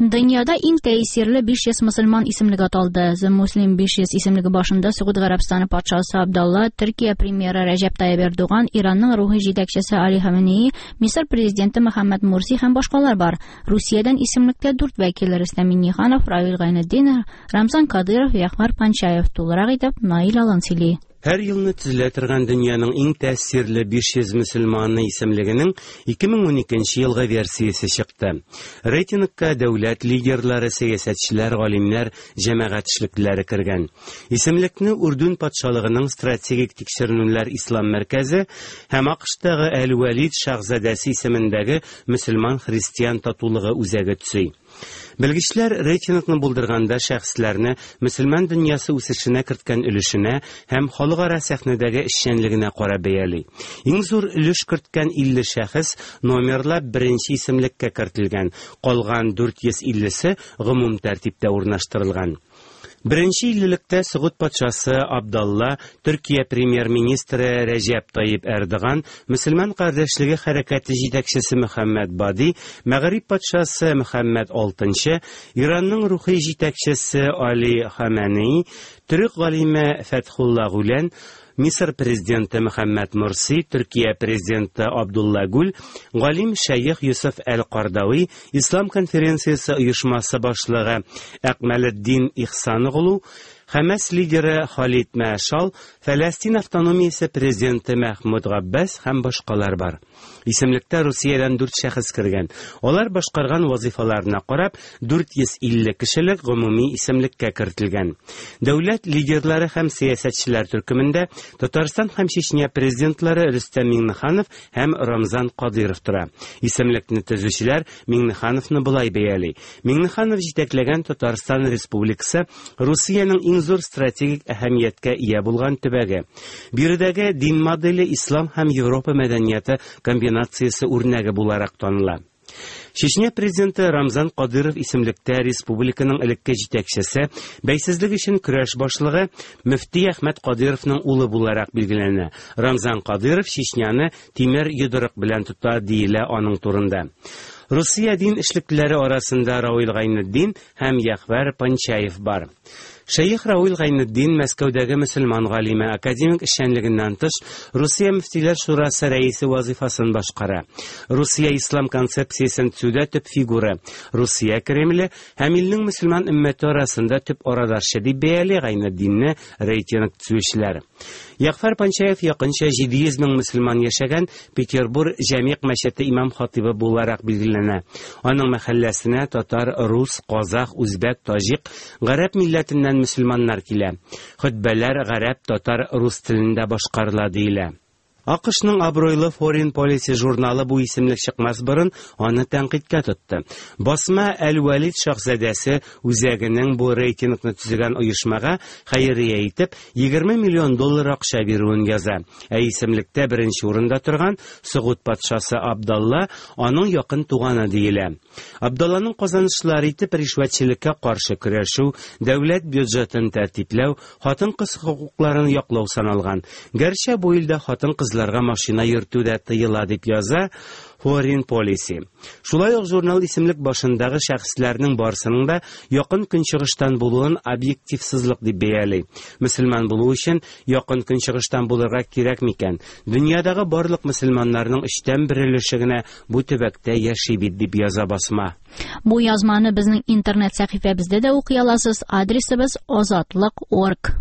Дөньяда иң тәэсирле 500 мөселман исемлеге аталды. The Muslim 500 исемлеге башында Согуд Гарәбстаны патшасы Абдалла, Төркия премьеры Рәҗәп Тайип Эрдоган, Иранның рухи җитәкчесе Али Хаменеи, Мисыр президенты Мөхәммәд Мурси һәм башкалар бар. Русиядән исемлектә дүрт вәкил Рөстәм Миңнеханов, Равил Гайнетдинов, Рамзан Кадыров, Ягъфәр Панчаев. Тулырак итеп Наил Алан сөйли. Һәр елны төзелә торган дөньяның иң тәэсирле 500 мөселманы исемлегенең 2012 елгы версиясе чыкты. Рейтингка дәүләт лидерлары, сәясәтчеләр, галимнәр, җәмәгать эшлеклеләре кергән. Исемлекне Үрдүн патшалыгының стратегик тикшеренүләр ислам мәркәзе һәм АКШтагы Әл-Вәлид шаһзадәсе исемендәге мөселман-христиан татулыгы үзәге төзи. Белгечләр рейтингны булдырганда шәхесләрне мөселман дөньясы үсешенә керткән өлешенә һәм халыкара сәхнәдәге эшчәнлегенә карап бәяли. Иң зур өлеш керткән 50 шәхес номерлап беренче исемлеккә кертелгән, калган 450-се гомум тәртиптә урнаштырылган. Беренче иллелектә Согуд патшасы Абдалла, Төркия премьер-министры Рәҗәп Тайип Эрдоган, Мөселман кардәшлеге хәрәкәте җитәкчесе Мөхәммәд Бади, Мәгъриб патшасы Мөхәммәд VI, Иранның рухи җитәкчесе Али Хаменеи, төрек галиме Фәтхулла Гүлән, Мисыр президенты Мөхәммәд Мурси, Төркия президенты Абдулла Гүл, галим шәех Юсуф әл-Кардауи, Ислам конференциясе оешмасы башлыгы Әкмәлетдин Ихсаноглу, Хәмәс лидеры Халид Мәшал, Фәләстин автономиясе президенты Мәхмүд Габбас һәм башкалар бар. Исемлектә Русиядән дүрт шәхес кергән. Алар башкарган вазифаларына карап, 450 кешелек гомуми исемлеккә кертелгән. Дәүләт лидерлары һәм сәясәтчеләр төркемендә Татарстан һәм Чечня президентлары Рөстәм Миңнеханов һәм Рамзан Кадыйров тора. Исемлекне төзүчеләр Миңнехановны болай бәяли. Миңнеханов җитәкләгән Татарстан Республикасы Русиянең иң зур стратегик әһәмияткә ия булган төбәге. Биредәге дин моделе ислам һәм Европа мәдәнияте комбинациясе үрнәге буларак таныла. Чечня президенты Рамзан Кадыров исемлектә республиканың элекке җитәкчесе, бәйсезлек өчен көрәш башлыгы мөфти Әхмәт Кадыровның улы буларак билгеләнә. Рамзан Кадыров Чечняны тимер йодрык белән тота диелә аның турында. Русия дин эшлеклеләре арасында Равил Гайнетдин һәм Ягъфәр Панчаев бар. Шәех Равил Гайнетдин Мәскәүдәге мөселман галиме, академик эшчәнлегеннән тыш, Русия мөфтиләр шурасы рәисе вазифасын башкара. Русия ислам концепциясен төзүдә төп фигура, Русия Кремле һәм илнең мөселман өммәте арасында төп арадашчы дип бәяли Гайнетдинне рейтинг төзүчеләр. Ягъфәр Панчаев якынча 700 мең мөселман яшәгән Петербур Җәмигъ мәчете имам-хатибы буларак билгеләнә. Аның мәхәлләсенә татар, рус, казах, үзбәк, таҗик, гарәп милләтеннән мөселманнар килә. Хөтбәләр гарәп, татар, рус телендә башкарыла диелә. АКШның абруйлы Foreign Policy журналы бу исемлек чыкмас борын аны тәнкыйтькә тотты. Басма Әл-Вәлид шаһзадәсе үзәгенең бу рейтингны төзегән оешмага хәйрия итеп 20 миллион доллар акча бирүен яза. Ә исемлектә беренче урында торган Согуд патшасы Абдалла аның якын туганы диелә. Абдалланың казанышлары итеп ришвәтчелеккә каршы көрәшү, дәүләт бюджетын тәртипләү, хатын-кыз хокукларын яклау саналган. Гәрчә бу илдә хатын-кызларга машина йөртү дә тыела дип яза Foreign Policy. Шулай ук журнал исемлек башындагы шәхесләрнең барысының да Якын Көнчыгыштан булуын объективсызлык дип бәяли. Мөселман булу өчен Якын Көнчыгыштан булырга кирәк микән? Дөньядагы барлык мөселманнарның өчтән бер өлеше генә бу төбәктә яши бит, дип яза басма. Бу язманы безнең интернет сәхифәбездә дә укый аласыз. Адресыбыз азатлык.орг.